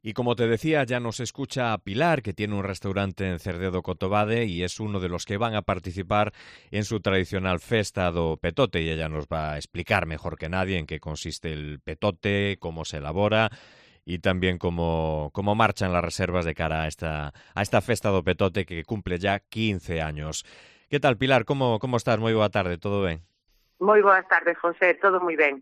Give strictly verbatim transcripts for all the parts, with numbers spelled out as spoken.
Y como te decía, ya nos escucha Pilar, que tiene un restaurante en Cerdedo Cotobade y es uno de los que van a participar en su tradicional festa do petote, y ella nos va a explicar mejor que nadie en qué consiste el petote, cómo se elabora y también cómo, cómo marchan las reservas de cara a esta, a esta festa do petote que cumple ya quince años. ¿Qué tal, Pilar? ¿Cómo, cómo estás? Moi boa tarde, todo ben? Moi boas tardes, José, todo moi ben.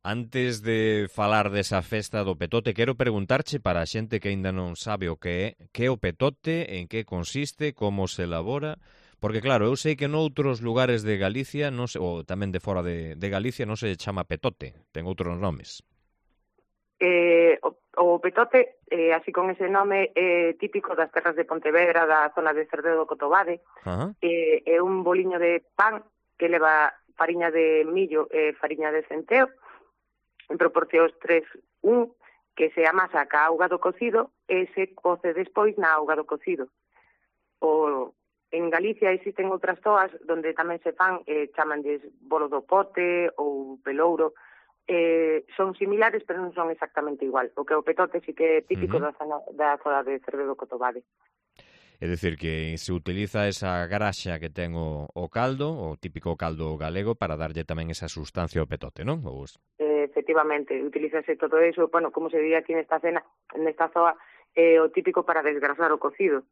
Antes de falar desa festa do petote, quero preguntarche para a xente que aínda non sabe o que é, que é o petote, en que consiste, como se elabora, porque claro, eu sei que noutros lugares de Galicia, non se, ou tamén de fora de, de Galicia, non se chama petote, ten outros nomes. Eh, o, o petote, eh, así con ese nome, é eh, típico das terras de Pontevedra, da zona de Cerdedo do Cotobade. Ajá. Eh, é un boliño de pan que leva fariña de millo e eh, fariña de centeo, en proporcións tres un, que se amasa ca auga do cocido e se coce despois na auga do cocido. O, en Galicia existen outras toas donde tamén se fan, eh, chamanlles bolo do pote ou pelouro, eh, son similares pero non son exactamente igual. O que o petote sí que é típico Uh-huh. da zona, da zona de Cervedo Cotobade. É dicir, que se utiliza esa graxa que ten o, o caldo, o típico caldo galego, para darlle tamén esa sustancia ao petote, non? Ou... Eh, efectivamente, utilízase todo eso, bueno, como se diría aquí nesta cena, nesta zoa, eh, o típico para desgrasar o cocido.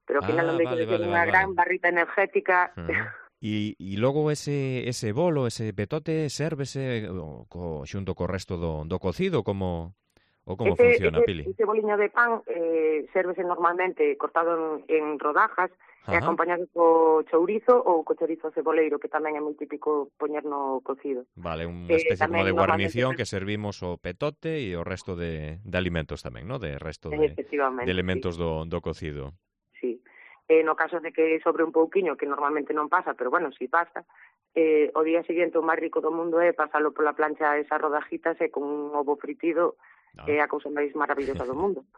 Pero ao final non Ah, deixa vale, de ser vale, unha vale, vale. gran barrita energética. Uh-huh. E, e logo ese, ese bolo, ese petote, sérvese o, co, xunto co resto do, do cocido, como, ou como Ese, funciona, ese, Pili? ese boliño de pan eh, sérvese normalmente cortado en, en rodajas e Ajá. acompañado co chourizo ou co chorizo ceboleiro, que tamén é moi típico poñer no cocido. Vale, unha Eh, especie como tamén de normalmente, guarnición que servimos o petote e o resto de, de alimentos tamén, ¿no? De resto de, de efectivamente, sí, elementos do, do cocido. sí. Eh, no caso de que sobre un pouquiño, que normalmente non pasa, pero bueno, si pasa, eh, o día seguinte o máis rico do mundo é pasalo pola plancha esas rodajitas e con un ovo fritido Ah. é a cousa máis maravillosa do mundo.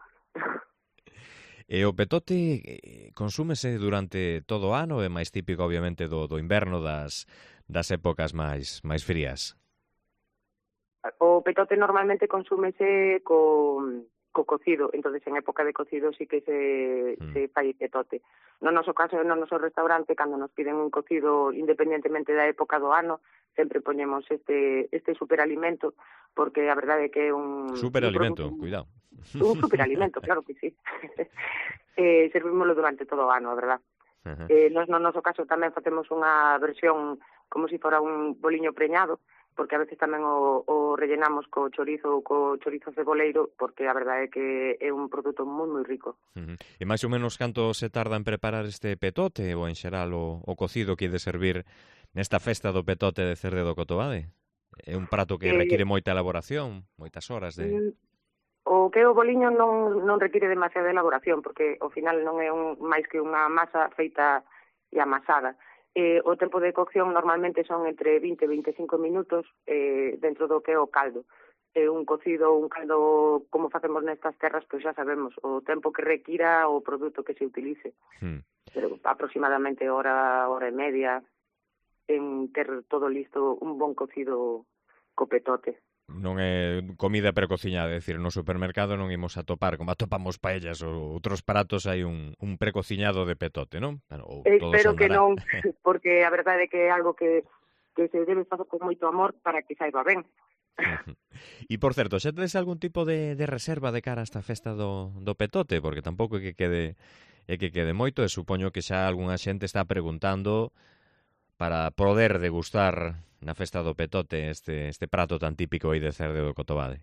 E o petote eh, consúmese durante todo o ano, é máis típico obviamente do, do inverno, das, das épocas máis máis frías. O petote normalmente consúmese co, co cocido, entonces en época de cocido sí que se, Mm. se fai petote. No noso caso, no noso restaurante, cando nos piden un cocido independentemente da época do ano, sempre poñemos este este superalimento, porque a verdade é que é un, un Superalimento, produto, cuidado. un superalimento, claro que sí. eh, servímoslo durante todo o ano, a verdad. Ajá. Eh, nos no noso caso tamén facemos unha versión como se si fora un boliño preñado, porque a veces tamén o, o rellenamos co chorizo ou co chorizo ceboleiro, porque a verdade é que é un produto moi moi rico. Uh-huh. E máis ou menos canto se tarda en preparar este petote, ou en xeral o, o cocido que hai de servir nesta festa do petote de Cerdedo Cotobade? É un prato que Eh, require moita elaboración, moitas horas de... mm, o que é o boliño non, non require demasiada elaboración, porque ao final non é un, máis que unha masa feita e amasada. Eh, o tempo de cocción normalmente son entre vinte e veinticinco minutos eh, dentro do que é o caldo. Eh, un cocido, un caldo, como facemos nestas terras, pois xa sabemos o tempo que requira o produto que se utilice. Hmm. Pero aproximadamente hora, hora e media en ter todo listo, un bon cocido co petote. Non é comida precociñada, é dicir, no supermercado non imos a topar, como atopamos paellas ou outros pratos, hai un, un precociñado de petote, non? Ou todo Espero que andará. non, porque a verdade é que é algo que, que se debe facer con moito amor para que saiba ben. E, por certo, xa tedes algún tipo de, de reserva de cara a esta festa do, do petote? Porque tampouco é que quede é que quede moito, e supoño que xa algunha xente está preguntando para poder degustar na festa do petote este, este prato tan típico aí de Cerdedo do Cotobade.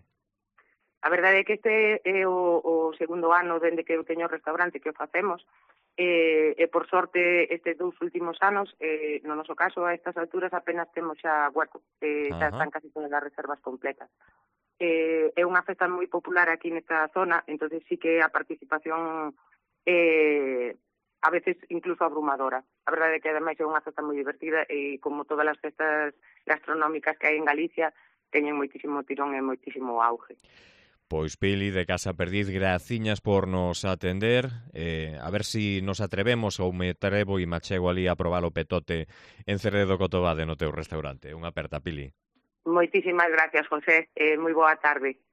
A verdade é que este é o, o segundo ano dende que eu teño o restaurante que o facemos, e, e por sorte estes dous últimos anos, eh, no noso caso a estas alturas apenas temos xa hueco, eh, xa Ajá. están casi todas as reservas completas. Eh, é unha festa moi popular aquí nesta zona, entonces sí que a participación eh, a veces incluso abrumadora. A verdade é que ademais é unha festa moi divertida e como todas as festas gastronómicas que hai en Galicia teñen moitísimo tirón e moitísimo auge. Pois Pili, de Casa Perdiz, graciñas por nos atender. Eh, a ver si nos atrevemos ou me atrevo e me achego ali a probar o petote en Cerredo Cotobade no teu restaurante. Unha aperta, Pili. Moitísimas gracias, José. Eh, moi boa tarde.